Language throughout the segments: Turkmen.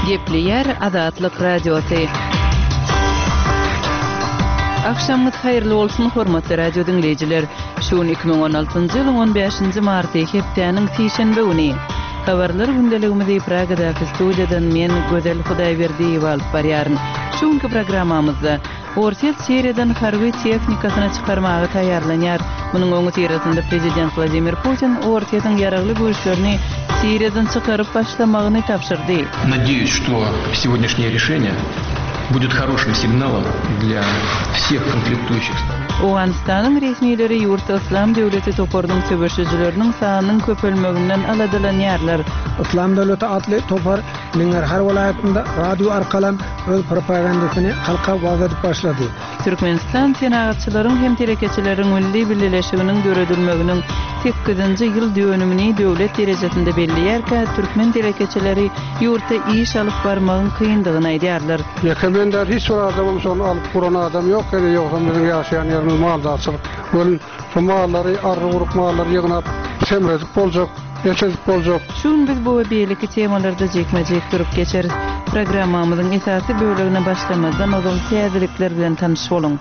Gepleýär Azatlyk Radiosy. Agşamyňyz haýyrly bolsun, hormatly radio diňleýjiler! Şu gün 2016-njy ýylyň 15-nji marty, hepdäniň sişenbe güni. Habarlar gündeligimizi Pragadaky studiýadan men, Gözel Hudaýberdiýewa alyp barýaryn. Şu günki programmamyzda Orsýet Siriýadan harby tehnikasyny çykarmaga taýýarlanýar. Munuň öňüsyrasynda prezident Wladimir Putin Orsýetiň ýaragly güýçlerini Siriýadan çykaryp başlamagyny tabşyrdy. Надеюсь, что сегодняшнее решение будет хорошим сигналом для всех конфликтующих сторон. Owganystanyň resmileri ýurtda Yslam döwleti toparynyň söweşijileriniň sanynyň köpelmeginden aladalanýarlar. Yslam döwleti atly topar Nangarhar welaýatynda radio arkalam öz propagandasyny halka wagyz edip başlady. Türkmenistan Senagatçylaryň hem telekeçileriň milli bileleşiginiň döredilmeginiň sekizinji ýyl dönümini döwlet derejesinde belleýärkä, türkmen telekeçileri ýurtda iş alyp barmagyň kyndygyny aýdýarlar. Ýeke men däl, hiç bir adamam şony alyp guran adam ýok, ýene ýogsam biziň ýaşaýan ýerimiz maldarçylyk. Welin, şu mallary, arry-guruk mallary ýygnap, semredip boljak. Et edip boljak. Şu gün biz bu we beýleki temalarda jikme-jik durup geçeris. Programmamyzyň esasy bölegine başlamazdan ozal täzelikler bilen tanyş boluň.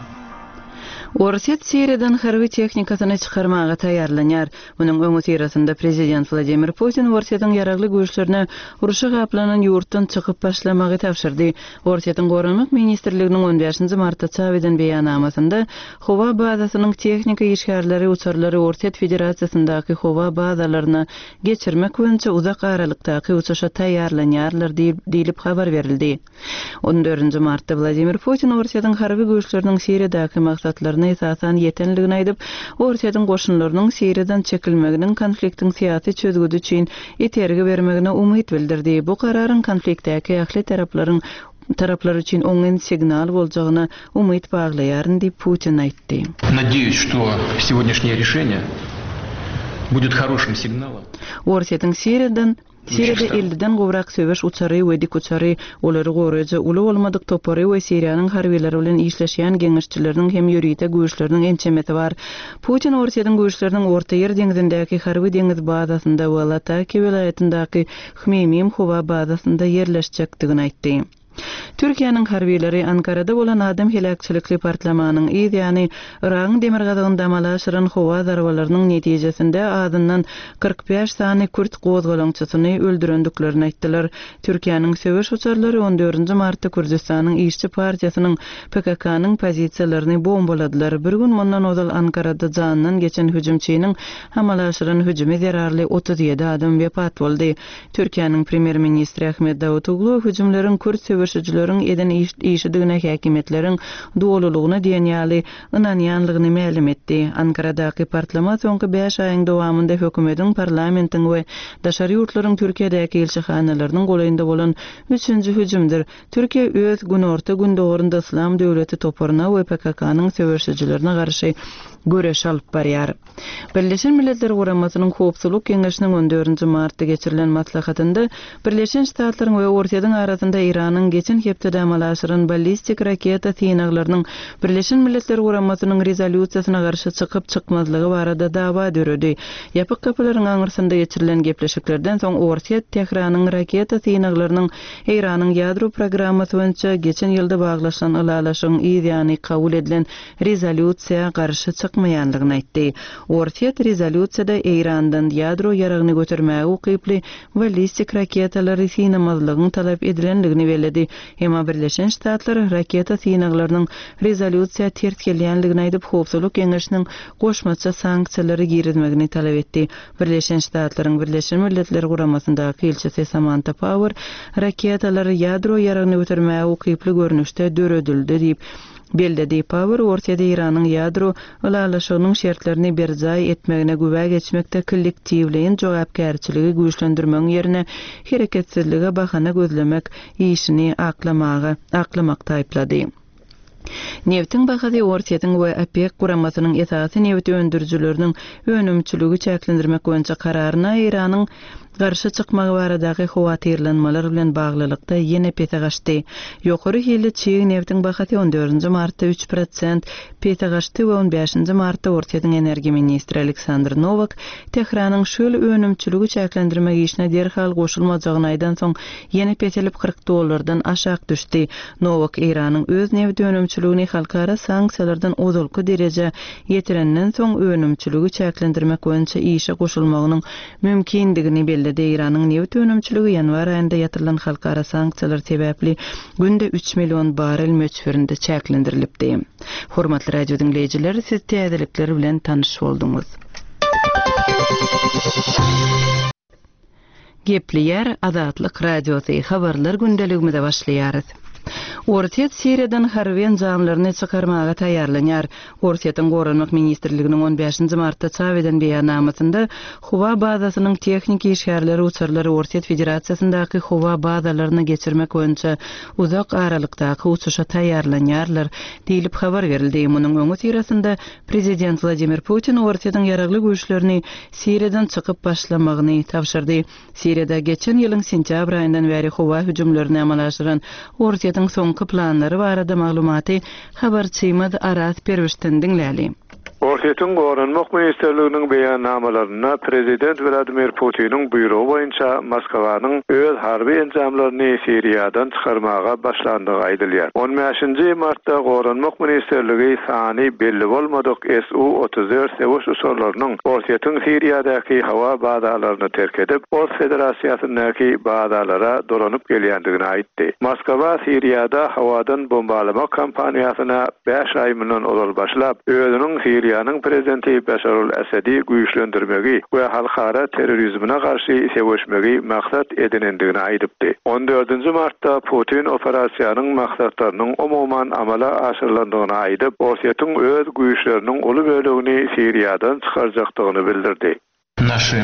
Orsýet Siriýadan harby tehnikasyny çykarmaga taýýarlanýar. Munuň öňüsyrasynda prezident Wladimir Putin Orsýetiň ýaragly güýçlerine urşa gaplanan ýurtdan çykyp başlamagy tabşyrdy. Orsýetiň Goranmak ministrliginiň on bäşinji martda çap eden beýannamasynda Howa bazasynyň tehniki işgärleri uçarlary Orsýet Federasiýasyndaky howa bazalaryna geçirmek boýunça uzak aralykdaky uçuşa taýýarlanýarlar diýlip habar berildi. On dördünji martda Wladimir Putin Orsýetiň harby güýçleriniň Siriýadaky maksatlaryna esasan ýetenligini aýdyp, Orsýetiň goşunlarynyň Siriýadan çekilmeginiň konfliktiň syýasy çözgüdi üçin itergi bermegine umyt bildirdi. Bu kararyň konfliktdäki ähli taraplaryň Taraplar üçin oňyn signal boljagyna umyt baglaýaryn diýip, Putin aýtdy. Nadeyus, что сегодняшнее решение будет хорошим signalom. Orsýetiň Siriýadan Siriýada elliden gowrak söweş uçary we dikuçary, olary goraýjy uly bolmadyk topary we Siriýanyň harbylary bilen işleşýän geňeşçileriniň hem ýörite güýçleriniň ençemesi bar. Putin Orsýetiň güýçleriniň Ortaýer deňzindäki harby-deňiz bazasynda we Latakiýa welaýatyndaky Hmeýmim howa bazasynda ýerleşjekdigini aýtdy. Türkiýäniň harbylary Ankarada bolan adam heläkçilikli partlamanyň yz ýany Yragyň demirgazygynda amala aşyran howa zarbalarynyň netijesinde azyndan 45 sany kürt gozgalaňçysyny öldürendiklerini aýtdylar. Türkiýäniň söweş uçarlary on dördünji martda Kürdüstanyň işçi partiýasynyň PKK-nyň pozisiýalaryny bombaladylar. Bir gün mundan ozal Ankarada janyndan geçen hüjümçiniň Amala aşyran hüjümi zerarly 37 adam wepat boldy. Türkiýäniň premýer-ministri Ahmet Dawutoglu hüjümleriň kürt söweşijileriň eden işidigine häkimiýetleriň dolulygyna diýen ýaly ynanýanlygyny mälim etdi. Ankaradaky partlama soňky bäş aýyň dowamynda hökümetiň, parlamentiň we daşary ýurtlaryň Türkiýedäki ilçihanalarynyň golaýynda bolan üçünji hüjümdir. Türkiýe öz günorta-gündogarynda Yslam döwleti toparyna we PKK-nyň söweşijilerine garşy göreş alyp barýar. Birleşen Milletler Guramasynyň Howpsuzlyk Geňeşiniň on dördünji martda geçirilen maslahatynda Birleşen Ştatlaryň we Orsýetiň arasynda Eýranyň geçen hepdede amala aşyran ballistik raketa synaglarynyň Birleşen Milletler Guramasynyň rezolýusiýasyna garşy çykyp-çykmazlygy barada dawa döredi. Ýapyk gapylaryň aňyrsynda geçirilen gepleşiklerden soň Orsýet Tähranyň raketa synaglarynyň Eýranyň ýadro programmasy boýunça geçen ýylda baglaşylan ylalaşygyň yz ýany kabul edilen rezolýusiýa garşy çykmaýandygyny aýtdy. Orsýet rezolýusiýada Eýrandan ýadro ýaragyny götermäge ukyply ballistik raketalary synamazlygyň talap edilendigini belledi. Emma Birleşen Ştatlar raketa synaglarynyň rezolýusiýa ters gelýändigini aýdyp, Howpsuzlyk Geňeşiniň goşmaça sanksiýalary girizmegini talap etdi. Birleşen Ştatlaryň Birleşen Milletler Guramasyndaky ilçisi Samanta Pauer raketalar ýadro ýaragyny götermäge ukyply görnüşde döredildi diýip belledi. Pauer Orsýet Eýranyň ýadro ylalaşygynyň şertlerini berjaý etmegine güwä geçmekde kollektiwleýin jogapkärçiligi güýçlendirmegiň ýerine hereketsizlige bahana gözlemek işini aklamaga aklamakda aýyplady. Nebtiň bahasy Orsýetiň we OPEK guramasynyň esasy nebit öndürijileriniň önümçiligi çäklendirmek boýunça kararyna Eýranyň garşy çykmagy baradaky howatyrlanmalar bilen baglylykda ýene pese gaçdy. Ýokary hilli çig nebtiň bahasy on dördünji martda üç prosent pese gaçdy we on bäşinji martda Orsýetiň energiýa ministri Aleksandr Nowak Tähranyň şu ýyl önümçiligi çäklendirmek işine derhal goşulmajagyny aýdansoň ýene peselip 40 dollardan aşak düşdi. Nowak Eýranyň öz nebit önümçiligini halkara sanksiýalardan ozalky derejä ýetirenden soň önümçiligi çäklendirmek boýunça işe goşulmagynyň mümkindigini belledi. Eýranyň nebit önümçiligi ýanwar aýynda ýatyrylan halkara sanksiýalar sebäpli günde üç million barrel möçberinde çäklendirilipdi. Hormatly radio diňleýjiler, siz täzelikler bilen tanyş bolduňyz. Gepleýär Azatlyk Radiosy, Habarlar gündeligimize başlaýarys. Orsýet Siriýadan harby enjamlaryny çykarmaga taýýarlanýar. Orsýetiň Goranmak ministrliginiň on bäşinji martda çap eden beýannamasynda howa bazasynyň tehniki işgärleri uçarlary Orsýet Federasiýasyndaky howa bazalaryna geçirmek boýunça uzak aralykdaky uçuşa taýýarlanýarlar diýlip habar berildi. Munuň öňüsyrasynda prezident Wladimir Putin Orsýetiň ýaragly güýçlerini Siriýadan çykyp başlamagyny tabşyrdy. Siriýada geçen ýylyň sentýabr aýyndan bäri howa hüjümlerini amala aşyran Orsýetiň soňky planlary barada maglumaty habarçymyz Araz Perwişden diňläli. Orsýetiň Goranmak ministrliginiň beýannamalarynda prezident Wladimir Putiniň buýrugy boýunça Moskwanyň öz harby enjamlaryny Siriýadan çykarmaga başlandygy aýdylýar. On bäşinji martda Goranmak ministrligi sany belli bolmadyk SU 34 söweş uçarlarynyň Orsýetiň Siriýadaky howa bazalaryny terk edip, Ors Federasiýasyndaky bazalara dolanyp gelýändigini aýtdy. Moskwa Siriýada howadan bombalamak kampaniýasyna bäş aý mundan ozal başlap, özüniň Siriýanyň prezidenti Beşar al-Assady güýçlendirmegi we halkara terrorizmine garşy söweşmegi maksat edinendigini aýdypdy. On dördünji martda Putin operasiýanyň maksatlarynyň umuman amala aşyrylandygyny aýdyp, Orsýetiň öz güýçleriniň uly bölegini Siriýadan çykarjakdygyny bildirdi. Naşy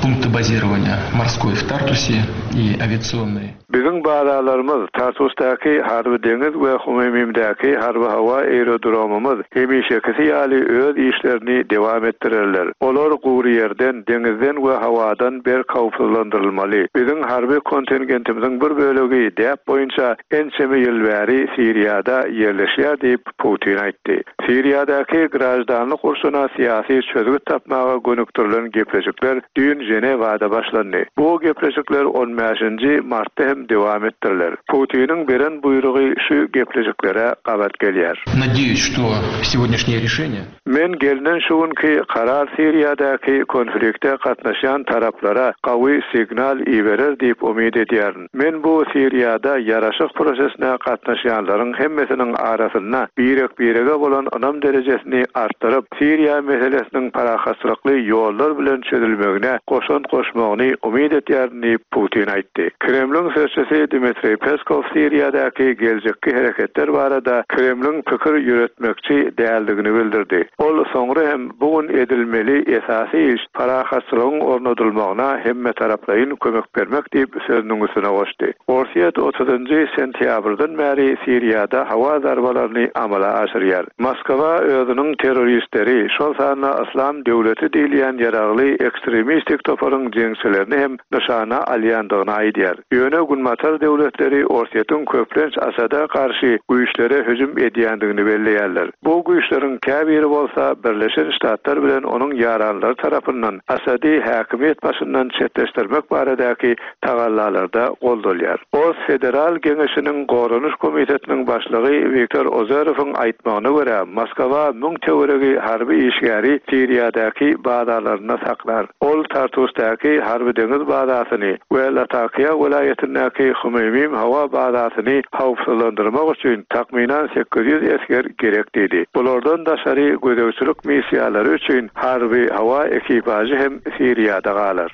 punkty bazirowaniýa morskoý w Tartusie i awiasionnyý. Biziň bazalarymyz, Tartusdaky harby-deňiz we Hmeýmimdäki harby-howa aerodromymyz hemişekisi ýaly öz işlerini dewam etdirerler. Olar gury ýerden, deňizden we howadan berk howpsuzlandyrylmaly. Biziň harby kontingentimiziň bir bölegi däp boýunça ençeme ýyl bäri Siriýada ýerleşýär diýip, Putin aýtdy. Siriýadaky graždanlyk urşuna syýasy çözgüt tapmaga gönükdirilen gepleşikler düýn Ženewada başlandy. Bu gepleşikler on bäşinji martda hem dewam etdiriler. Putiniň beren buýrugy şu gepleşiklere gabat gelýär. Nadeýus, şto segodnýaşnýe rişeniýe. Men gelnen şu günki karar Siriýadaky konflikte gatnaşýan taraplara gawy signal iberer diýip umyt edýärin. Men bu Siriýada ýaraşyk prosesine gatnaşýanlaryň hemmesiniň arasynda birek-birege bolan ynam derejesini artdyryp, Siriýa meselesiniň parahatçylykly ýollar bilen çözülmegine goşant goşmagyny umyt etýärin diýip, Putin aýtdy. Kremliň sözçüsi Dmitriý Peskow Siriýadaky geljekki hereketler barada Kremliň pikir ýöretmekçi däldigini bildirdi. Ol soňra hem bu gün edilmeli esasy iş parahatçylygyň ornadylmagyna hemmetaraplaýyn kömek bermek diýip, sözüniň üstüne goşdy. Orsýet otuzynjy sentýabrdan bäri Siriýada howa zarbalaryny amala aşyrýar. Moskwa özüniň terroristleri, şol sanda Yslam döwleti diýilýän ýaragly ekstremistik toparyň jeňçilerini hem nyşana alýandygyny aýdýar. Ýöne Günbatar döwletleri Orsýetiň köplenç Asada garşy güýçlere hüjüm edýändigini belleýärler. Bu güýçleriň käbiri bolsa Birleşen Ştatlar bilen onuň ýaranlary tarapyndan Asady häkimiýet başyndan çetleşdirmek baradaky tagallalarda goldalýar. Ors Federal Geňeşiniň Goranyş komitetiniň başlygy Wiktor Ozerowyň aýtmagyna görä, Moskwa müň töweregi harby işgäri Siriýadaky bazalarynda saklar. Ol Tartusdaky harby-deňiz bazasyny we Latakiýa welaýatyndaky Hmeýmim howa bazasyny howpsuzlandyrmak üçin takmynan 800 esger gerek diýdi. Bulardan daşary gözegçilik missiýalary üçin harby-howa ekipažy hem Siriýada galar.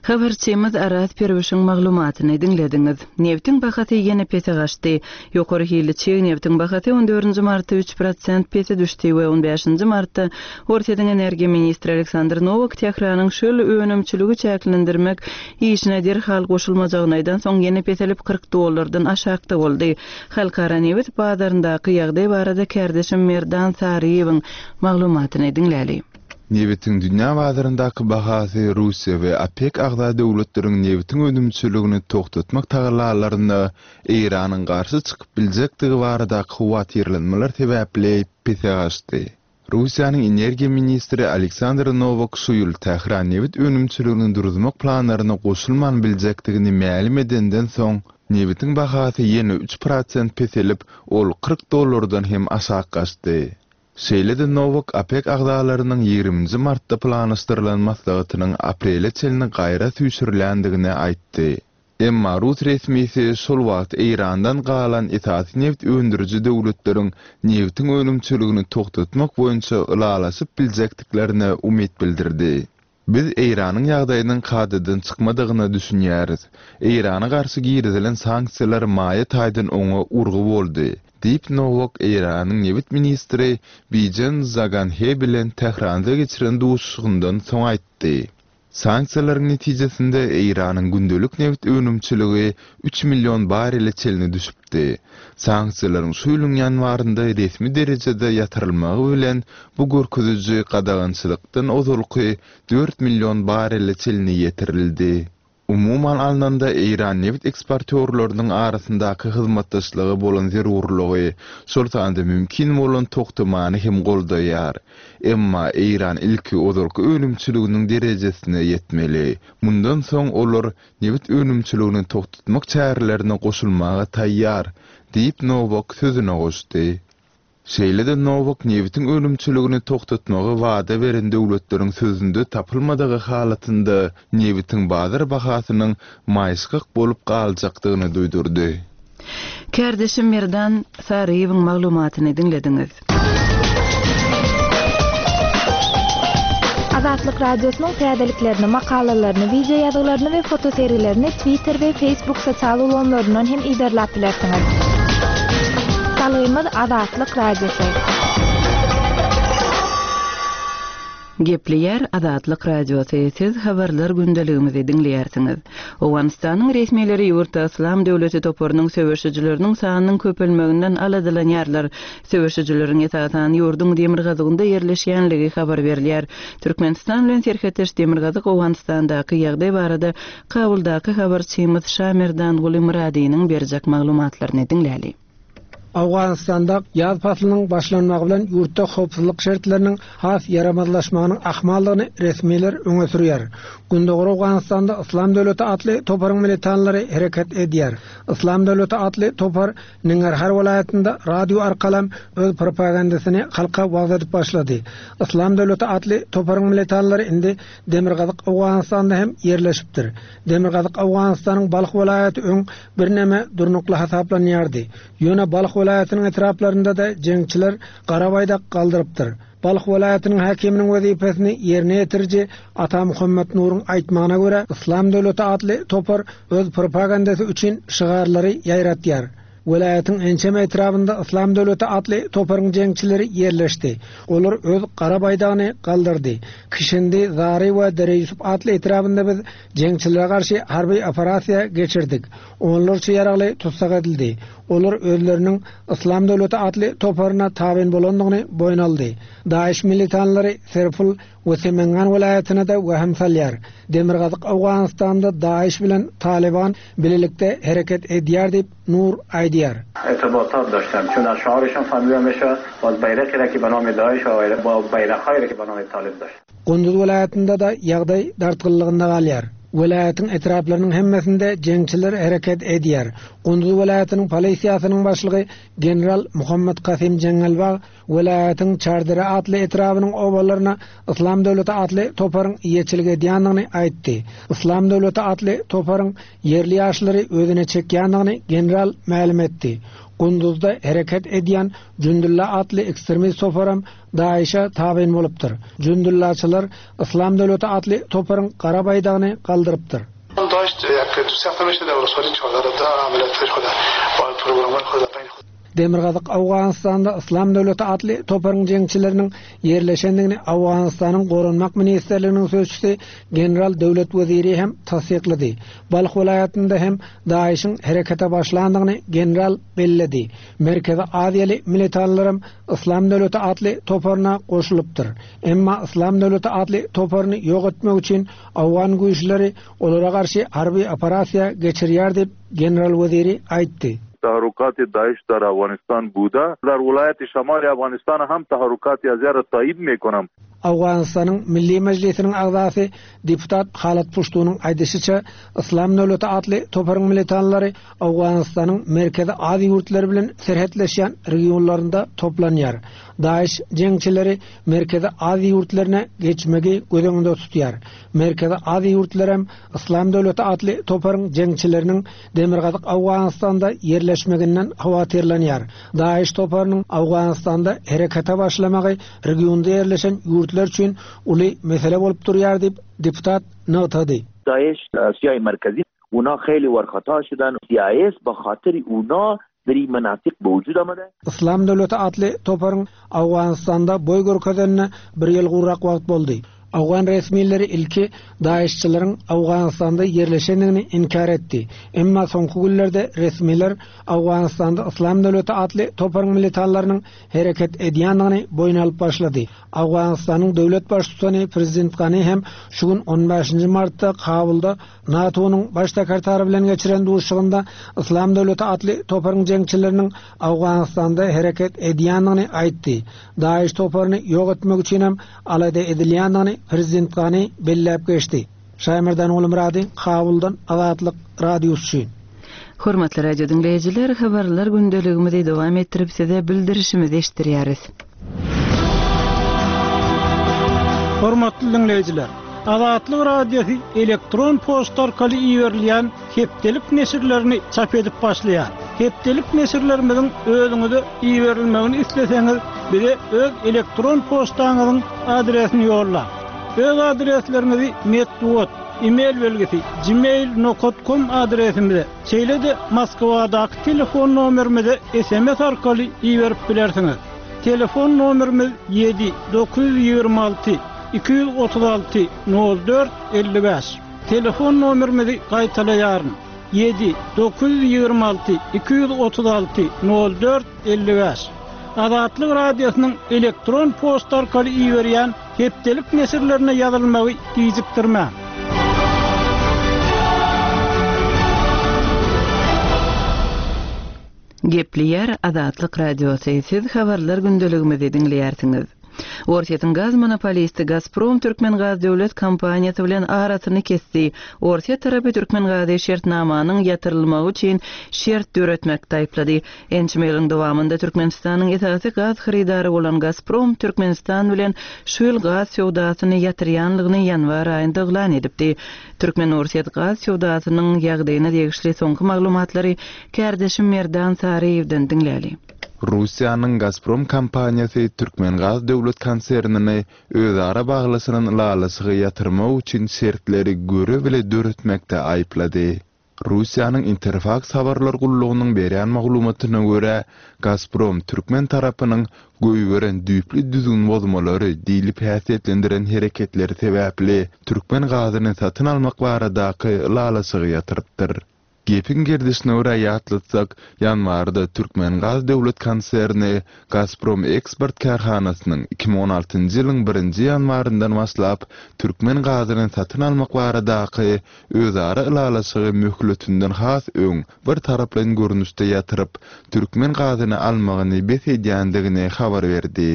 Habarçymyz Araz Perwişiň maglumatyny diňlediňiz. Nebtiň bahasy ýene pese gaçdy. Ýokary hilli çig nebtiň bahasy on dördünji martda üç prosent pese düşdi we on bäşinji martda Orsýetiň energiýa ministri Aleksandr Nowak Tähranyň şol önümçiligi çäklendirmek işine derhal goşulmajagyny aýdansoň ýene peselip 40 dollardan aşakda boldy. Halkara nebit bazaryndaky ýagdaý barada kärdeşim Merdan Saryýewiň maglumatyny diňläli. Nebitiň dünýä bazaryndaky bahasy Russiýa we OPEK agza döwletleriň nebitiň önümçiligini togtatmak tagallalaryna Eýranyň garşy çykyp biljekdigi baradaky howatyrlanmalar sebäpli pese gaçdy. Russiýanyň energiýa ministri Aleksandr Nowak şu ýyl Tähran nebit önümçiligini duruzmak planlaryna goşulman biljekdigini mälim edenden soň, nebitiň bahasy ýene üç prosent peselip, ol 40 dollardan hem aşak gaçdy. Şeýle-de Nowak OPEK agzalarynyň ýigriminji martda planlaşdyrylan maslahatynyň aprele çenli gaýra süýşürilendigini aýtdy. Emma rus resmisi şol wagt Eýrandan galan esasy nebit öndüriji döwletleriň nebitiň önümçiligini togtatmak boýunça ylalaşyp biljekdiklerine umyt bildirdi. Biz Eýranyň ýagdaýynyň kadadan çykmadygyna düşünýäris. Eýrana garşy girizilen sanksiýalar maýa taýdan oňa urgy boldy, diýip Nowak Eýranyň nebit ministri Bijen Zaganhe bilen Tähranda geçiren duşuşygyndan soň aýtdy. Sanksiýalaryň netijesinde Eýranyň gündelik nebit önümçiligi üç million barrele çenli düşüpdi. Sanksiýalaryň şu ýylyň ýanwarynda resmi derejede ýatyrylmagy bilen bu görkeziji gadagançylykdan ozalky dört million barrele çenli ýetirildi. Umuman alnanda, Eýran nebit eksportýorlarynyň arasyndaky hyzmatdaşlyga bolan zerurlygy, şol sanda mümkin bolan togtamany hem goldaýar. Emma Eýran ilki ozalky önümçiliginiň derejesine ýetmeli. Mundan soň olar nebit önümçiligini togtatmak çärelerine goşulmaga taýýar, diýip, Nowak sözüne goşdy. Şeýle-de Nowak nebitiň önümçiligini togtatmagy wada beren döwletleriň sözünde tapylmadygy halatynda nebitiň bazar bahasynyň maýyşgak bolup galjakdygyny duýdurdy. Kärdeşim Merdan Saryýewiň maglumatyny diňlediňiz. Azatlyk Radiosynyň täzeliklerini, makalalaryny, wideo ýazgylaryny we fotosergilerini Twitter we Facebook sosial ulgamlaryndan hem yzarlap bilersiňiz. Salgymyz Azatlyk Radiosy. Gepleýär Azatlyk Radiosy, siz habarlar gündeligimizi diňleýärsiňiz. Owganystanyň resmileri ýurtda Yslam döwleti toparynyň söweşijileriniň sanynyň köpelmeginden aladalanýarlar. Söweşijileriň esasan ýurduň demirgazygynda ýerleşýänligi habar berilýär. Türkmenistan bilen serhetdeş demirgazyk Owganystandaky ýagdaý barada Kabuldaky habarçymyz Şamerdanguly Myradynyň berjek maglumatlaryny diňläli. Owganystanda ýaz paslynyň başlanmagy bilen ýurtda howpsuzlyk şertleriniň has ýaramazlaşmagynyň ahmaldygyny resmiler öňe sürýär. Gündogar Owganystanda Yslam döwleti atly toparyň militanlary hereket edýär. Yslam döwleti atly topar Ningarhar welaýatynda radio arkalam öz propagandasyny halka wagyz edip başlady. Yslam döwleti atly toparyň militanlary indi Demirgazyk Owganystanda hem ýerleşipdir. Demirgazyk Owganystanyň Balh welaýaty öň birneme durnukly hasaplanýardy. Ýöne Balh welaýatynyň etraplarynda-da jeňçiler gara baýdak galdyrypdyr. Balh welaýatynyň häkiminiň wezipesini ýerine ýetiriji Ata Muhammet Nuruň aýtmagyna görä, Yslam döwleti atly topar öz propagandasy üçin şygarlary ýaýratýar. Welaýatyň ençeme etrabynda Yslam döwleti atly toparyň jeňçileri ýerleşdi. Olar öz gara baýdagyny galdyrdy. Kişindi, Zary we Dereýusup atly etrabynda biz jeňçilere garşy harby operasiýa geçirdik. Onlarça ýaragly tussag edildi. Olar özleriniň Yslam döwleti atly toparyna tabyn bolandygyny boýun aldy. DAIŞ militanlary Serpul we Semengan welaýatyna-da wehim salýar. Demirgazyk Owganystanda DAIŞ bilen Talyban bilelikde hereket edýär diýip, Nur aýdýar. Irtibatat daştan, çün az şiarişan fahmidam meşe, baz baýraqi ra ki be nami DAIŞ we ba baýraqhayi ra ki be nami Talib daşt. Gunduz welaýatynda-da ýagdaý dartgynlygynda galýar. Welaýatyň etraplarynyň hemmesinde jeňçiler hereket edýär. Gunduz welaýatynyň polisiýasynyň başlygy general Muhammet Kasym Jeňňelbag Welaýatyň Çardere atly etrabynyň obalaryna Yslam döwleti atly toparyň eýeçilik edýändigini aýtdy. Yslam döwleti atly toparyň ýerli ýaşlary özüne çekýändigini general mälim etdi. Gunduzda hereket edýän Jündulla atly ekstremist toparam DAIŞ-e tabyn bolupdyr. Jündullaçylar Yslam döwleti atly toparyň gara baýdagyny galdyrypdyr. Demirgazyk Owganystanda Yslam döwleti atly toparyň jeňçileriniň ýerleşendigini Owganystanyň Goranmak ministrliginiň sözçüsi general Döwlet Weziri hem tassyklady. Balh welaýatynda hem DAIŞ-iň herekete başlandygyny general belledi. Merkezi Aziýaly militanlaram Yslam döwleti atly toparyna goşulypdyr. Emma Yslam döwleti atly toparyny ýok etmek üçin owgan güýçleri olara garşy harby operasiýa geçirýär diýip, general Weziri aýtdy. تحرکات داعش در افغانستان بوده در ولایت شمال افغانستان هم تحرکات ازیا را تایید میکنم. Owganystanyň Milli Mejlisiniň agzasy deputat Halat Puştunyň aýdyşyça, Yslam döwleti atly toparyň militanlary Owganystanyň Merkezi Aziýa ýurtlary bilen serhetleşýän regionlarynda toplanýar. DAIŞ jeňçileri Merkezi Aziýa ýurtlaryna geçmegi göz öňünde tutýar. Merkezi Aziýa ýurtlaram Yslam döwleti atly toparyň jeňçileriniň demirgazyk Owganystanda ýerleşmeginden howatyrlanýar. DAIŞ toparynyň Owganystanda herekete başlamagy regionda ýerleşen ýurtlar üçin uly mesele bolup durýar diýip, deputat nygtady. داعش آسیای مرکزی اونا خیلی ورخطا شدن سی آی اس به خاطر اونا در این مناطق به وجود آمده. Yslam döwleti atly toparyň Owganystanda boý görkezenine bir ýyl gowrak wagt boldy. Owgan resmileri ilki DAIŞ-çileriň Owganystanda ýerleşendigini inkär etdi. Emma soňky günlerde resmiler Owganystanda Yslam döwleti atly toparyň militanlarynyň hereket edýändigini boýun alyp başlady. Owganystanyň döwlet baştutany prezident Gani hem şu gün on bäşinji martda Kabulda NATO-nyň Baş sekretary bilen geçiren duşuşygynda Yslam döwleti atly toparyň jeňçileriniň Owganystanda hereket edýändigini aýtdy. DAIŞ toparyny ýok etmek üçinem alada edilýändigini prezident Gani belläp geçdi. Şaýmerdan Gulmyrady, Kabuldan Azatlyk Radiosy üçin. Hormatly radio diňleýjiler, habarlar gündeligimizi dowam etdirip size bildirişimizi eşitdirýäris. Hormatly diňleýjiler! Azatlyk Radiosy elektron poçta arkaly iberilýän hepdelik neşirlerini çap edip başlaýar. Hepdelik neşirlerimiziň özüňize iberilmegini isleseňiz, bize öz elektron poçtaňyzyň adresini ýollaň. Öz adresleriňizi metbugat, e-mail belgisi, gmail nokat kom adresimize, şeýle-de Moskwadaky telefon nomerimize sms arkaly iberip bilersiňiz. Telefon nomerimiz ýedi, 926 236 04 55. Telefon nomerimizi gaýtalaýaryn, ýedi, 926 236 04 55. Azatlyk Radiosynyň elektron poçta arkaly iberýän hepdelik neşirlerine ýazylmagy gijikdirmäň. Gepleýär Azatlyk Radiosy, Siz Habarlar gündeligimizi diňleýärsiňiz. Orsýetiň gaz monopolisti Gazprom Türkmengaz döwlet kompaniýasy bilen arasyny kesdi. Orsýet tarapy Türkmengazy şertnamanyň ýatyrylmagy üçin şert döretmekde aýyplady. Ençeme ýylyň dowamynda Türkmenistanyň esasy gaz hyrydary bolan Gazprom Türkmenistan bilen şu ýyl gaz söwdasyny ýatyrýanlygyny ýanwar aýynda yglan edipdi. Türkmen-orsýet gaz söwdasynyň ýagdaýyna degişli soňky maglumatlary Kärdeşim Merdan Saryýewden diňläli. Russiýanyň Gazprom kompaniýasy Türkmengaz döwlet konsernini özara baglaşylan ylalaşygy ýatyrmak üçin şertleri göre-bile döretmekde aýyplady. Russiýanyň Interfaks habarlar gullugynyň berýän maglumatyna görä, Gazprom türkmen tarapynyň goýberen düýpli düzgün bozmalary diýlip häsiýetlendiren hereketleri sebäpli türkmen gazyny satyn almak baradaky ylalaşygy ýatyrypdyr. Gepiň gerdişine görä ýatlatsak, ýanwarda Türkmengaz döwlet konserni Gazprom Eksport kärhanasynyň 2016-njy ýylyň birinji ýanwaryndan başlap türkmen gazyny satyn almak baradaky özara ylalaşygy möhletinden has öň bir taraplaýyn görnüşde ýatyryp, türkmen gazyny almagyny bes edýändigini habar berdi.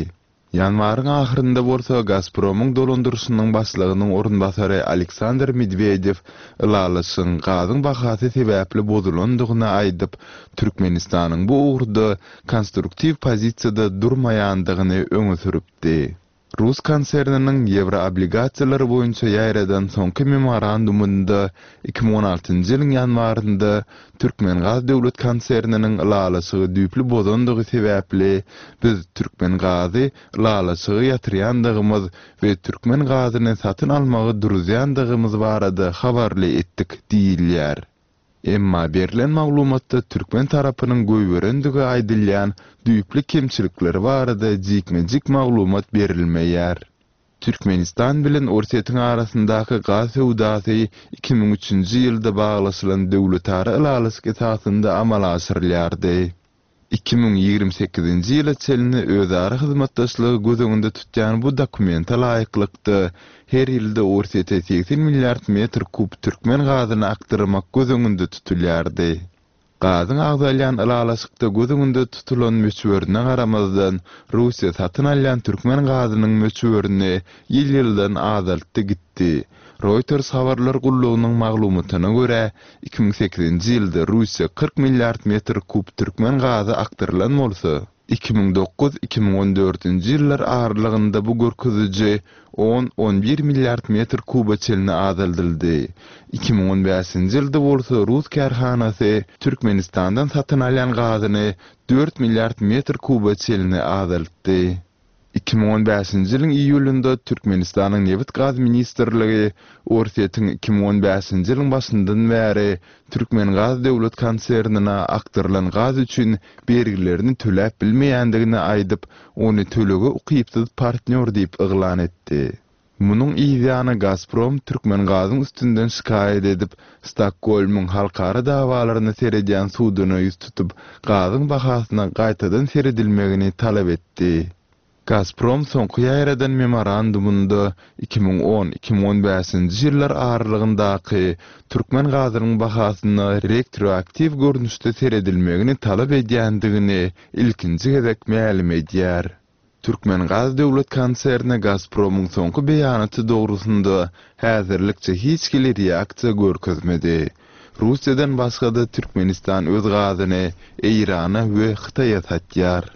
Ýanwaryň ahyrynda bolsa Gazpromyň dolandyryşynyň başlygynyň orunbasary Aleksandr Medwedew ylalaşygyň gazyň bahasy sebäpli bozulandygyny aýdyp, Türkmenistanyň bu ugurda konstruktiw pozisiýada durmaýandygyny öňe sürüpdi. Rus konserniniň ýewroobligasiýalary boýunça ýaýradan soňky memorandumynda 2016-njy ýylyň ýanwarynda Türkmengaz döwlet konserniniň ylalaşygy düýpli bozandygy sebäpli biz Türkmengazy ylalaşygy ýatyrýandygymyz we türkmen gazyny satyn almagy duruzýandygymyz barada habarly etdik diýilýär. Emma berlen maglumatda türkmen tarapynyň goýberendigi aýdylýan düýpli kemçilikleri barada jikme-jik maglumat berilmeýär. Türkmenistan bilen Orsýetiň arasyndaky gaz söwdasy 2003-nji ýylda baglaşylan döwletara ylalaşyk esasynda amala aşyrylýardy. 2028-nji ýyla çenli özara hyzmatdaşlygy göz öňünde tutýan bu dokumente laýyklykda, her ýylda Orsýete 80 milliard metr kub türkmen gazyny akdyrmak göz öňünde tutulýardy. Gazyň agzalýan ylalaşykda göz öňünde tutulan möçberine garamazdan, Russiýa satyn alýan türkmen gazynyň möçberini ýyl-ýyldan azaltdy gitdi. Reuters habarlar gullugynyň maglumatyna görä, 2008-nji ýylda Russiýa 40 milliard metr kub türkmen gazy akdyrylan bolsa, 2009, 2014-nji ýyllar aralygynda bu görkeziji on, on bir milliard metr kuba çenli azaldyldy. 2015-nji ýylda bolsa rus kärhanasy Türkmenistandan satyn alýan gazyny dört milliard metr kuba çenli azaltdy. 2015-nji ýylyň iýulynda Türkmenistanyň Nebit-gaz ministrligi Orsýetiň 2015-nji ýylyň başyndan bäri Türkmengaz döwlet konsernine akdyrylan gaz üçin bergilerini töläp bilmeýändigini aýdyp, ony tölege ukypsyz partnýor diýip yglan etdi. Munuň yzýany Gazprom Türkmengazyň üstünden şikaýat edip, Stokgolmyň halkara dawalaryna seredýän suduna ýüz tutup, gazyň bahasyna gaýtadan seredilmegini talap etdi. Gazprom soňky ýaýradan memorandumynda 2010, 2015-nji ýyllar aralygyndaky türkmen gazynyň bahasyna rektroaktiw görnüşde seredilmegini talap edýändigini ilkinji gezek mälim edýär. Türkmengaz döwlet konserni Gazpromyň soňky beýanaty dogrusynda häzirlikçe hiç hili reaksiýa görkezmedi. Russiýadan başga-da Türkmenistan öz gazyny Eýrana we Hytaýa satýar.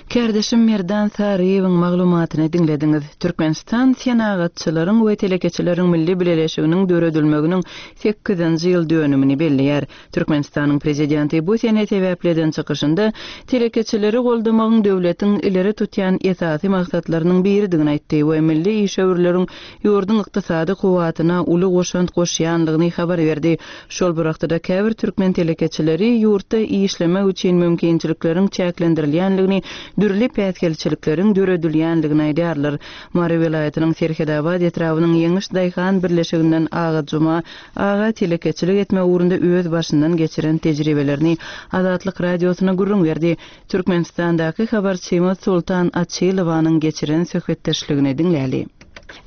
Kärdeşim Merdan Saryýewiň maglumatyny diňlediňiz. Türkmenistan Senagatçylaryň we telekeçileriň milli bileleşiginiň döredilmeginiň sekizinji ýyl dönümini belleýär. Türkmenistanyň Prezidenti bu sene sebäpli eden çykyşynda telekeçileri goldamagyň döwletiň ileri tutýan esasy maksatlarynyň biridigini aýtdy we milli işewürleriň ýurduň ykdysady kuwwatyna uly goşant goşýandygyny habar berdi. Şol bir wagtda-da käbir türkmen telekeçileri ýurtda işlemek üçin mümkinçilikleriň çäklendirilýändigini, dürli päsgelçilikleriň döredilýändigini aýdýarlar. Mary welaýatynyň Serhetabat etrabynyň Ýeňiş daýhan birleşiginden Agajuma Aga telekeçilik etme ugrunda öz başyndan geçiren tejribelerini Azatlyk Radiosyna gürrüň berdi. Türkmenistandaky habarçymyz Soltan Açylowanyň geçiren söhbetdeşligini diňläli.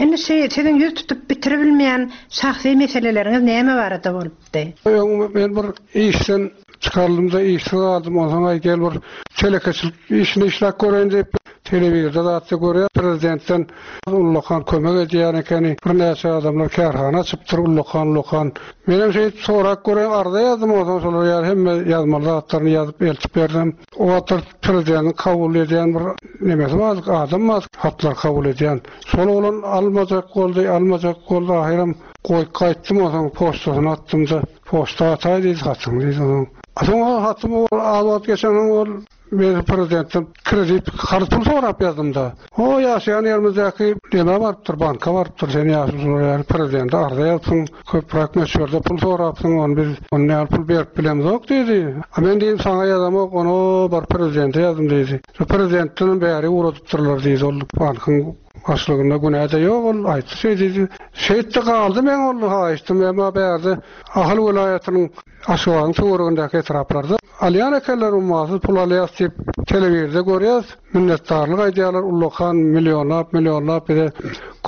Indi şi siziň ýüz tutup bitiribilmeýän şahsy meseleleriňiz näme barada bolupdy? Öň men bir işden çykaryldym-da işsiz galdym, onsoň aý gel bir telekeçilik işini işläp göreýin diýip, telewizorda zatda görýär, prezidentden Ullakan kömek edýän ekeni. Birnäçe adamlar kärhana açypdyr ullakan-ullakan. Menem şeýdip sorap göreýin, arza ýazdym onsoň şolar ýaly hemme ýazmaly zatlaryny ýazyp eltip berdim. O wagtlar prezidentiň kabul edýän bir nemesi bardy, adam bardy hatlary kabul edýän. Şol oglan almajak boldy, almajak boldy ahyram goýup gaýtdym onsoň poçtasyna atdym-da, poçta ataý diýdi hatyňy diýdi onsoň. Soň ol hatymy az wagt geçensoň ol Men prezidentden kredit, karz pul sorap ýazdym-da. O ýaşaýan ýerimizdäki nämä barypdyr, banka barypdyr, sen ýaşulular ýaly prezidente arza ýazypsyň, köpräk möçberde pul sorapsyň, ony biz onda ýaly pul berip bilemzok diýdi. A men diýdim, saňa ýazamok, ony o baryp prezidente ýazdym diýdi. Şo prezidentdenem bäri ugradypdyrlar diýdi, ol bankyň başlygynda günä-de ýok, ol aýtdy şeý diýdi. Şeýtdi galdy meň ol haýyştym, emma bärde Ahal welaýatynyň Aşgabadyň töweregindäki etraplarda alýan ekenler ummasyz pul alýas diýip telewizorda görýäs, minnetdarlyk aýdýarlar ullakan millionlap millionlap bize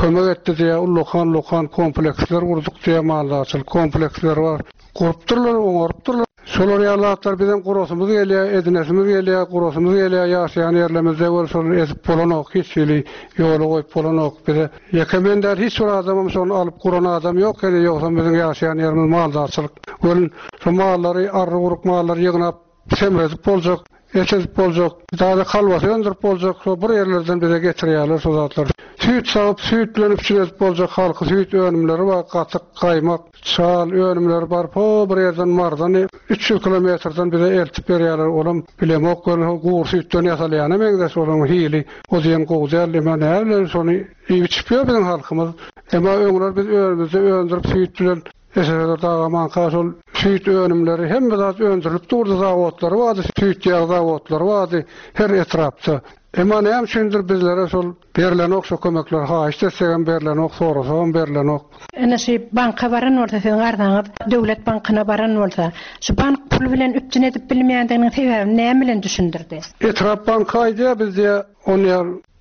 kömek etdi diýýär ullakan ullakan kompleksler gurduk diýýär maldarçylyk kompleksleri bar gurupdyrlar oňarypdyrlar şolar ýaly zatlar bizem gurasymyz gelýär edinesimiz gelýär gurasymyz gelýär ýaşaýan ýerlemizde wel şony edip bolanok hiç hili ýola goýup bolanok bize Ýeke men däl, hiç bir adamam şony alyp guran adam ýok ene, ýogsam biziň ýaşaýan ýerimiz maldarçylyk. Welin, şo mallary, arry-guruk mallary ýygnap, semredip boljak. Et edip boljak, taze kolbasa öndürip boljak, şo bir ýerlerden bize getirýärler şo zatlary. Süýt sagyp, süýt bilen üpjün edip boljak halky süýt önümleri bar, gatyk, gaýmak, çal önümleri bar, ho bir ýerden Marydan 300 kilometrden bize eltip berýärler, olam bilemok welin ho gury süýtden ýasalýana meňzeş olaryň hili o diýen gowy däl, emma näbileýin şony iýip-içip ýör biziň halkymyz. Emma öňler biz özümizde öndürip süýt bilen SSR dagamanka şol süýt önümleri hemme zat öndürilip durdy zawodlary bardy süýt ýag zawodlary bardy her etrapda. Emma näme üçindir bizlere şol berlenok şo kömekler haýyşt etsegem berlenok sorasagam berlenok. Ine şu banka baran bolsa siziň arzaňyz döwlet bankyna baran bolsa şu bank pul bilen üpjün edip bilmeýändiginiň sebäbini näme bilen düşündirdi? Etrap banky aýdýar biz diýýär ony ýa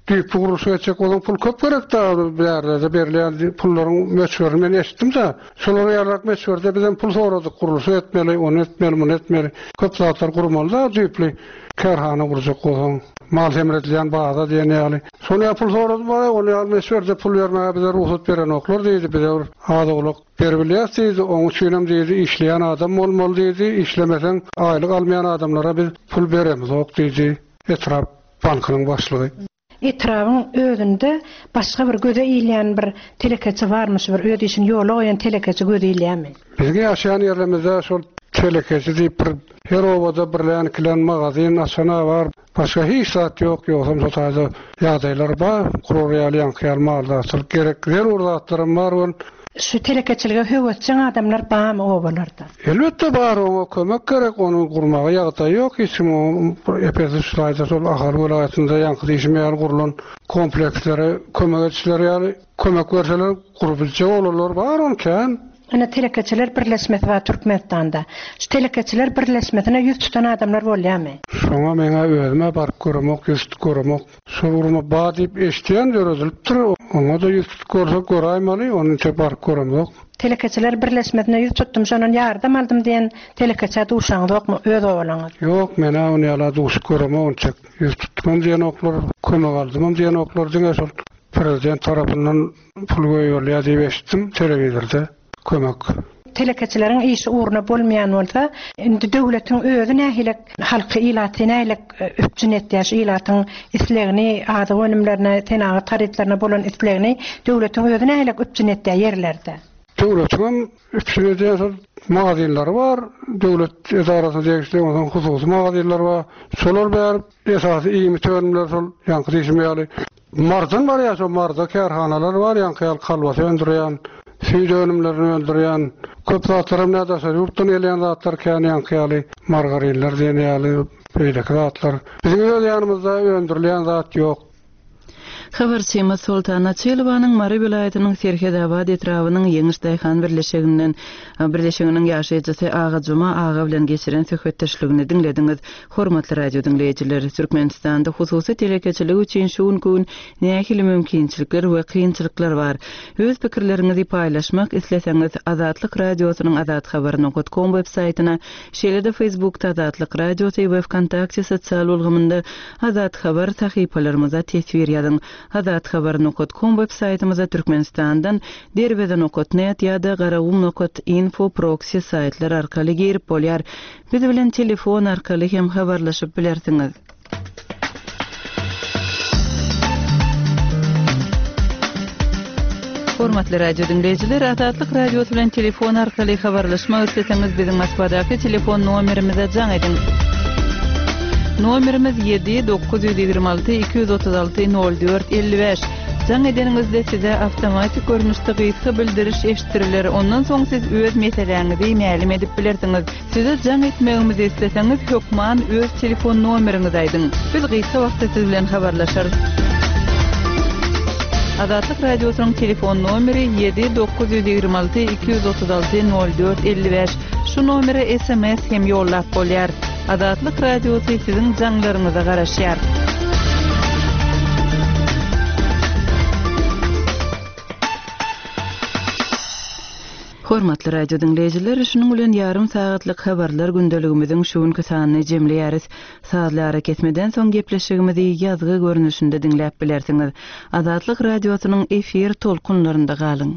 Düýpli gurluşyk etjek bolsaň pul köp gerek da bärlerde berilýän pullaryň möçberini men eşitdim da şolar ýalyrak möçberde bizem pul soradyk gurluşyk etmeli ony etmeli muny etmeli köp zatlar gurmaly da düýpli kärhana gurjak bolsaň mal semredilýän baza diýen ýaly şony ýa pul soradym bar ol ýaly möçberde pul bermäge bize rugsat berenoklar diýdi bize bir az-owlak beribilýäs diýdi oň üçinem diýdi işleýän adam bolmaly diýdi işlemeseň aýlyk almaýan adamlara biz pul beremizok diýdi etrap bankynyň başlygy. Etrabyň özünde başga bir göze ilýän bir telekeçi barmy şu bir öz işini ýola goýan telekeçi göze ilýämi? Biziň ýaşaýan ýerlemizde şol telekeçi diýip bir her obada birlän ikilän magazin açana bar başga hiç zat ýok ýogsam şo taýda ýagdaýlar bar gurar ýaly ýaňky ýaly maldarçylyk gerek zerur zatlaram bar ol Şu telekeçilige höwesjeň adamlar barmy obalarda? Elbetde bar oňa kömek gerek ony gurmaga ýagdaýy ýok hiç kim bir epesi şu taýda şol Ahal welaýatynda ýaňky diýşim ýaly gurlan komplekslere kömek edişleri ýaly kömek berseler gurup biljek oglanlar bar ony kän. Ine telekeçiler birleşmesi bar Türkmenistanda. Şu telekeçiler birleşmesine ýüz tutan adamlar bolýamy? Şoňa meňä özümä baryp göremok ýüz tutup göremok. Şol gurama bar diýip eşidýän döredilipdir. Oňa-da ýüz tutup görsek göräýmeli, ony entek baryp göremzok. Telekeçiler birleşmesine ýüz tutdum, şondan ýardam aldym diýen telekeçä duşaňyzokmy öz obalaňyz? Ýok, men-ä ony ýala duşup göremok entek. Ýüz tutdumam diýenoklar, kömek aldymam diýenoklar, diňe şol prezident tarapyndan pul goýberilýär diýip eşitdim telewizorda. Kömek. Telekeçileriň işi ugruna bolmaýan bolsa, indi döwletiň özi nähili halky, ilaty nähili üpjün etýär, şu ilatyň islegini, azyk önümlerine, senagat harytlaryna bolan islegini döwletiň özi nähili üpjün etýär ýerlerde? Döwletiňem üpjün edýän şol magazinleri bar, döwlet edarasyna degişli, onsoň hususy magazinler bar. Şolar bäri esasy iýmit önümleri şol ýaňky diýşim ýaly Marydan barýar şo Maryda kärhanalar bar ýaňky ýaly kolbasa öndürýän, süýt önümlerini öndürýän, köp zatlaram nä daşary ýurtdan gelýän zatlar kän ýaňky ýaly margarinler diýen ýaly beýleki zatlar. Biziň öz ýanymyzda öndürilýän zat ýok. Habarçymyz Soltan Açylowanyň Mary welaýatynyň Serhetabat etrabynyň Ýeňiş daýhan birleşiginden birleşiginiň ýaşaýjysy Agajuma aga bilen geçiren söhbetdeşligini diňlediňiz. Hormatly radio diňleýjiler, Türkmenistanda hususy telekeçilik üçin şu günki gün nähili mümkinçilikler we kynçylyklar bar? Öz pikirleriňizi paýlaşmak isleseňiz, Azatlyk Radiosynyň azathabar nokat kom web saýtyna, şeýle-de Facebookda Azatlyk Radiosy we Wkontakte sosial ulgamynda Azat Habar sahypalarymyza teswir ýazyň. Azathabar nokat kom web saýtymyza Türkmenistandan Derweze nokat net ýa-da Garagum nokat info proksi saýtlar arkaly girip bolýar. Biz bilen telefon arkaly hem habarlaşyp bilersiňiz. Hormatly radio diňleýjiler, Azatlyk Radiosy bilen telefon arkaly habarlaşmak isleseňiz, biziň Moskwadaky telefon nomerimize jaň ediň. Nomerimiz 7 926 236 04 55. Jaň edeniňizde size awtomatik görnüşde gysga bildiriş eşitdiriler, ondan soň siz öz meseläňizi mälim edip bilersiňiz. Size jaň etmegimizi isleseňiz hökman öz telefon nomeriňizi aýdyň. Biz gysga wagtda siz bilen habarlaşarys. Azatlyk Radiosynyň telefon nomeri 7 926 236 04 55. Şu nomere sms hem ýollap bolýar. Azatlyk Radiosy siziň jaňlaryňyza garaşýar. Hormatly radio diňleýjiler, şunuň bilen ýarym sagatlyk habarlar gündeligimiziň şu günki sanyny jemleýäris. Sazly arakesmeden soň gepleşigimizi ýazgy görnüşinde diňläp bilersiňiz. Azatlyk Radiosynyň efir tolkunlarynda galyň.